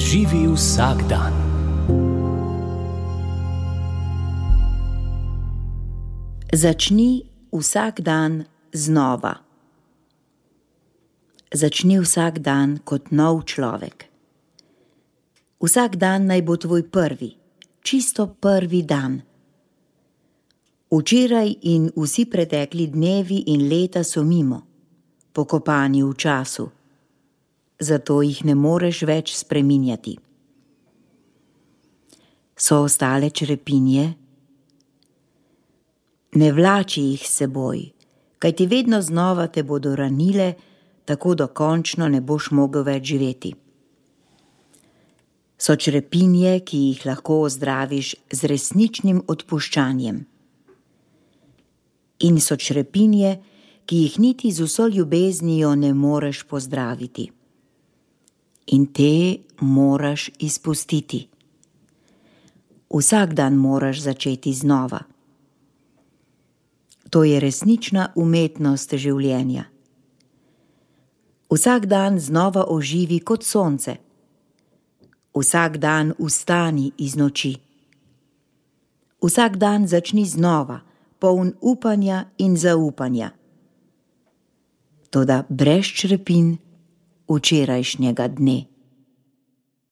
Živi vsak dan. Začni vsak dan znova. Začni vsak dan kot nov človek. Vsak dan naj bo tvoj prvi, čisto prvi dan. Včeraj in vsi pretekli dnevi in leta so mimo, pokopani v času. Zato jih ne moreš več spreminjati. So ostale črepinje? Ne vlači jih s seboj, kajti vedno znova te bodo ranile, tako dokončno ne boš mogel več živeti. So črepinje, ki jih lahko ozdraviš z resničnim odpuščanjem. In so črepinje, ki jih niti z vso ljubeznijo ne moreš pozdraviti. In te moraš izpustiti. Vsak dan moraš začeti znova. To je resnična umetnost življenja. Vsak dan znova oživi kot sonce. Vsak dan vstani iz noči. Vsak dan začni znova, poln upanja in zaupanja. Toda brez črepinj včerajšnjega dne.